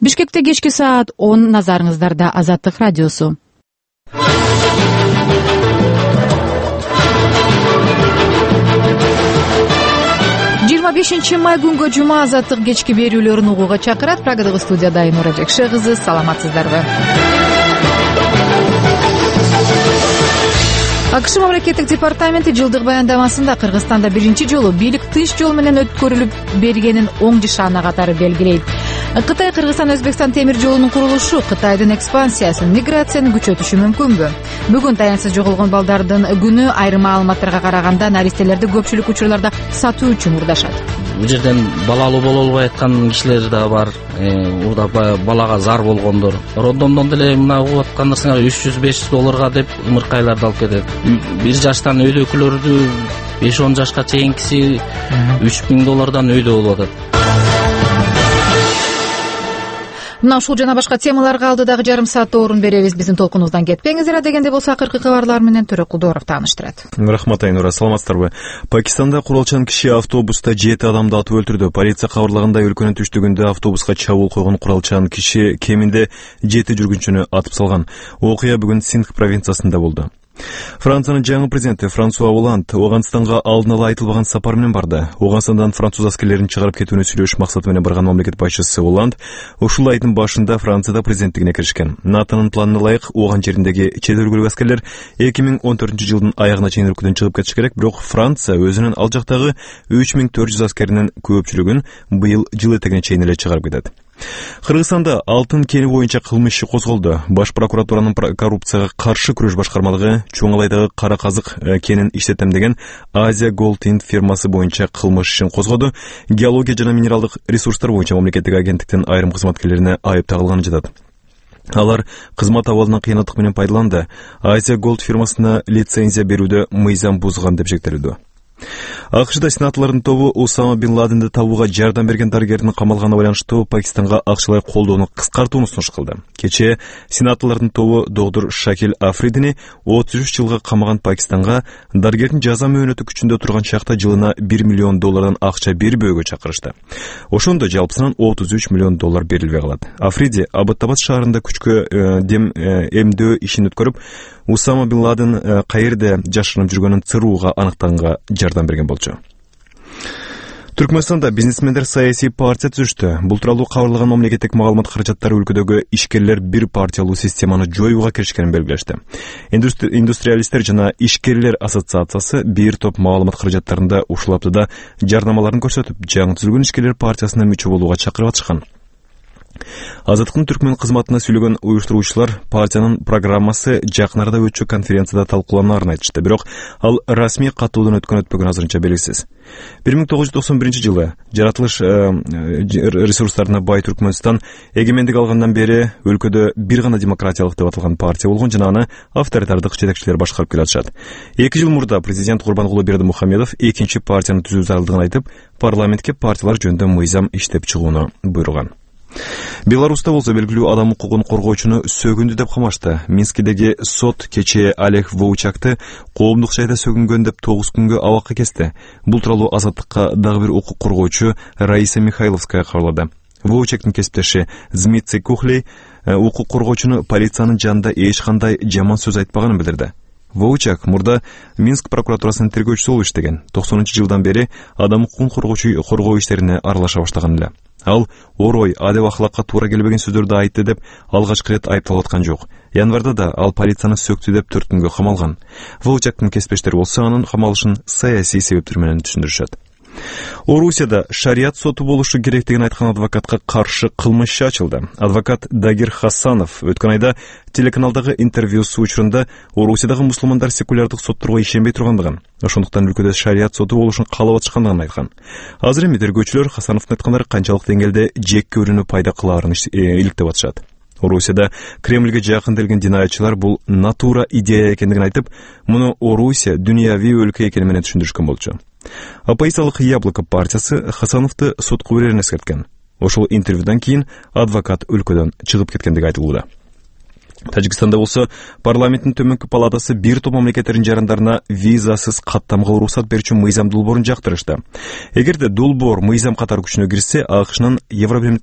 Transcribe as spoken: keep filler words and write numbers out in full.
Бишкекте кечки саат он, назарыңыздарда Азаттык радиосу. жыйырма бешинчи май күнгө жума Азаттык кечки берүүлөрүн угууга чакырат. Прагадагы студияда Айнура Жекше кызы. Саламатсыздарбы? АКШ мамлекеттик департаменти жылдык баяндамасында Кыргызстанда биринчи жолу бийлик тынч жол менен өткөрүлүп бергенин оң жашаана катары белгилейт. Кытай Кыргызстан Өзбекстан темир жолунун курулушу Кытайдын экспансиясын, миграцияны күчөтүшү мүмкүнбү? Бүгүн таянсыз жоголгон балдардын күнү. Айрым маалыматтарга караганда наристелерди көпчүлүк учурларда сатуу үчүн урдашат. Бул жерден балалуу боло албай аткан кишилер да бар. Урда балага зар болгондор. Роддомдон деле мына угуп аткандар үч жүз беш жүз долларга деп ымыркайларды алып кетет. Бир жаштан өйдөкүлөрдү беш он жашка чейинкиси үч миң доллардан өйдө болуп атат. Мына ушул жана башка темаларга алдыдагы жарым саатта орун беребиз. Биздин толкунубуздан кетпеңиздер. Дегенде болсо акыркы кабарлар менен Төрө Кулдоров тааныштырат. Рахмат Айнура, саламатсыздарбы? Пакистанда куралчан киши автобуста жети адамды атып өлтүрдү. Полиция кабарлагандай, өлкөнүн түштүгүндө автобуска чабуул койгон куралчан киши кеминде жети жүргүнчүнү атып салган. Окуя бүгүн Синдх провинциясында болду. Франциянын жаңы президенти Франсуа Оланд Ооганстанга алдын ала айтылбаган сапар менен барды. Ооганстандан француз аскерлерин чыгарып кетүүнү сүйлөш максаты менен барган мамлекет башчысы Оланд ушул айдын башында Францияда президенттигине киришкен. НАТОнун планына ылайык ооган жериндеги чет өлкөлүк аскерлер эки миң он төртүнчү жылдын аягына чейин өлкөдөн чыгып кетиш керек, бирок Франция өзүнүн ал жактагы үч миң төрт жүз аскеринин көпчүлүгүн быйыл жыл этегине чейин эле чыгарып кетет. Кыргызстанда алтын кени боюнча кылмыш иши козголду. Баш прокуратуранын коррупцияга каршы күрөш башкармалыгы Чоңалайдагы кара казык кенин иштетем деген Азия Голд Инд фирмасы боюнча кылмыш ишин козгоду. Геология жана минералдык ресурстар боюнча мамлекеттик агенттиктин айрым кызматкерлерине айып тагылганы жатат. Алар кызмат абалынан кыянаттык менен пайдаланды. Азия Голд фирмасына лицензия берүүдө мыйзам бузган деп шектелүүдө. АКШда сенаторлордун тобу Усама бин Ладенди табууга жардам берген дарыгердин камалганына байланыштуу Пакистанга акчалай колдоону кыскартууну сунуш кылды. Кечээ сенаторлордун тобу доктор Шакил Афридини отуз үч жылга камаган Пакистанга дарыгердин жаза мөөнөтү күчүндө турган чакта жылына бир миллион доллардан акча бербөөгө чакырышты. Ошондо жалпысынан отуз үч миллион доллар берилбей калат. Африди Аббатабад шаарында күчкө дем эмдөө ишин өткөрүп, Усама бин Ладен каерде жашырынып жүргөнүн црууга аныктаганга жардам берген болчу. Түркмөнстанда бизнесмендер саясий партия түзүштү. Бул тууралуу кабарлаган мамлекеттик маалымат каражаттары өлкөдөгү ишкерлер бир партиялуу системаны жоюуга киришкенин белгилешти. Индустриалисттер жана ишкерлер ассоциациясы бир топ маалымат каражаттарында ушул аптада жарнамаларын көрсөтүп, жаңы түзүлгөн ишкерлер партиясына мүчө болууга чакырып атышкан. Азаттыктын түркмөн кызматына сүйлөгөн уюштуруучулар партиянын программасы жакын арада өтчү конференцияда талкууланарын айтышты, бирок ал расмий катуудан өткөн өтпөгөн азырынча белгисиз. бир миң тогуз жүз токсон биринчи жылы жаратылыш ресурстарына бай Түркмөнстан эгемендик алгандан бери өлкөдө бир гана демократиялык деп аталган партия болгон жана аны авторитардык жетекчилер башкарып келатышат. эки жыл мурда президент Курбангулы Бердимухамедов экинчи партияны түзүү зарылдыгын айтып, парламентке партиялар жөнүндө мыйзам иштеп чыгууну буйруган. Беларуста болсо белгилүү адам укугун коргоочуну сөгүндү деп камашты. Минскидеги сот кечээ Олег Воучакты коомдук жайда сөгүнгөн деп тогуз күнгө абакка кести. Бул тууралуу Азаттыкка дагы бир укук коргоочу Раиса Михайловская кабарлады. Воучактын кесиптеши Змитций Кухлей укук коргоочуну полициянын жанында эч кандай жаман сөз айтпаганын билдирди. Воучак мурда Минск прокуратурасынын тергөөчүсү болуп иштеген. токсонунчу жылдан бери адам укугун коргоочу коргоо иштерине аралаша баштаган эле. Ал орой, адеп ахлакка туура келбеген сөздөрдү айтты деп алгачкы ирет айыпталып аткан жок. Январда да ал полицияны сөктү деп төрт күнгө камалган. Воучактын кесиптештери болсо анын камалышын саясий себептер менен түшүндүрүшөт. Орусияда шарият соту болушу керектигин айткан адвокатка каршы кылмыш иши ачылды. Адвокат Дагир Хасанов өткөн айда телеканалдагы интервьюсу учурунда Орусиядагы мусулмандар секулярдык сотторго ишенбей тургандыгын, ошондуктан өлкөдө шарият соту болушун каалап атышкандыгын айткан. Азыр эми тергөөчүлөр Хасановдун айткандары канчалык деңгээлде жек көрүүнү пайда кылаарын иликтеп атышат. Орусияда Кремльге жакын келген динаятчылар бул натура идея экендигин айтып, муну Орусия дүйнөви өлкө экени менен түшүндүрүшкөн болчу. Оппозициялык Яблоко партиясы Хасановду сотко берерин эскерткен. Ошол интервьюдан кийин адвокат өлкөдөн чыгып кеткендиги айтылууда. Тажикстанда болсо парламенттин төмөнкү палатасы бир топ мамлекеттердин жарандарына визасыз каттамга уруксат берүүчү мыйзам долбоорун жактырышты. Эгерде долбоор мыйзам катары күчүнө кирсе, АКШнын Евробир